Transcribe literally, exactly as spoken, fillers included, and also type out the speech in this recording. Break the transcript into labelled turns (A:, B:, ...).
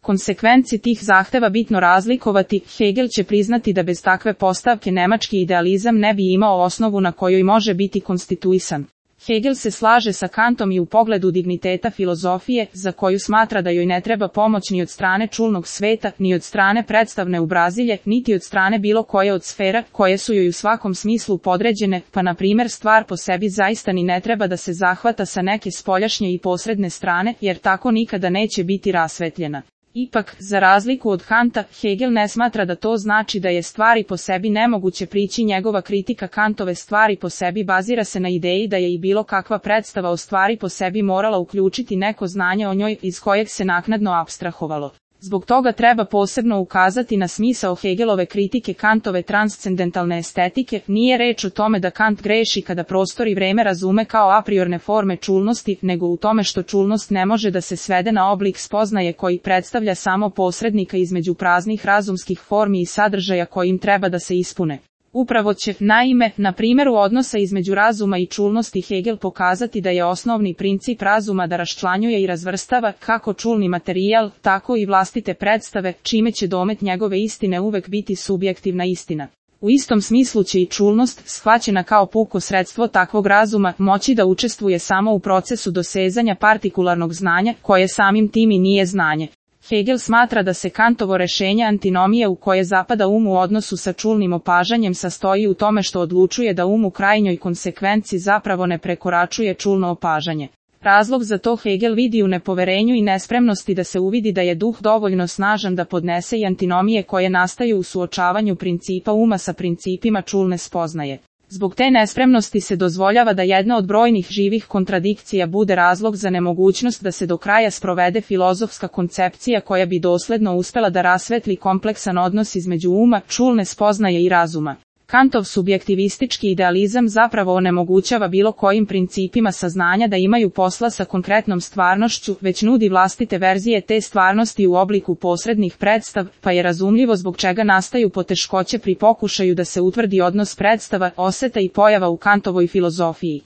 A: konsekvenci tih zahteva bitno razlikovati, Hegel će priznati da bez takve postavke nemački idealizam ne bi imao osnovu na kojoj može biti konstituisan. Hegel se slaže sa Kantom i u pogledu digniteta filozofije, za koju smatra da joj ne treba pomoć ni od strane čulnog sveta, ni od strane predstavne ubrazilje, niti od strane bilo koje od sfera, koje su joj u svakom smislu podređene, pa na primjer stvar po sebi zaista ni ne treba da se zahvata sa neke spoljašnje i posredne strane, jer tako nikada neće biti rasvetljena. Ipak, za razliku od Kanta, Hegel ne smatra da to znači da je stvari po sebi nemoguće prići. Njegova kritika Kantove stvari po sebi bazira se na ideji da je i bilo kakva predstava o stvari po sebi morala uključiti neko znanje o njoj iz kojeg se naknadno apstrahovalo. Zbog toga treba posebno ukazati na smisao Hegelove kritike Kantove transcendentalne estetike. Nije reč o tome da Kant greši kada prostor i vreme razume kao a priorne forme čulnosti, nego u tome što čulnost ne može da se svede na oblik spoznaje koji predstavlja samo posrednika između praznih razumskih formi i sadržaja kojim treba da se ispune. Upravo će, naime, na primjeru odnosa između razuma i čulnosti Hegel pokazati da je osnovni princip razuma da raščlanjuje i razvrstava kako čulni materijal, tako i vlastite predstave, čime će domet njegove istine uvek biti subjektivna istina. U istom smislu će i čulnost, shvaćena kao puko sredstvo takvog razuma, moći da učestvuje samo u procesu dosezanja partikularnog znanja, koje samim tim i nije znanje. Hegel smatra da se Kantovo rešenje antinomije u koje zapada um u odnosu sa čulnim opažanjem sastoji u tome što odlučuje da um u krajnjoj konsekvenci zapravo ne prekoračuje čulno opažanje. Razlog za to Hegel vidi u nepoverenju i nespremnosti da se uvidi da je duh dovoljno snažan da podnese i antinomije koje nastaju u suočavanju principa uma sa principima čulne spoznaje. Zbog te nespremnosti se dozvoljava da jedna od brojnih živih kontradikcija bude razlog za nemogućnost da se do kraja sprovede filozofska koncepcija koja bi dosledno uspela da rasvetli kompleksan odnos između uma, čulne spoznaje i razuma. Kantov subjektivistički idealizam zapravo onemogućava bilo kojim principima saznanja da imaju posla sa konkretnom stvarnošću, već nudi vlastite verzije te stvarnosti u obliku posrednih predstav, pa je razumljivo zbog čega nastaju poteškoće pri pokušaju da se utvrdi odnos predstava, oseta i pojava u Kantovoj filozofiji.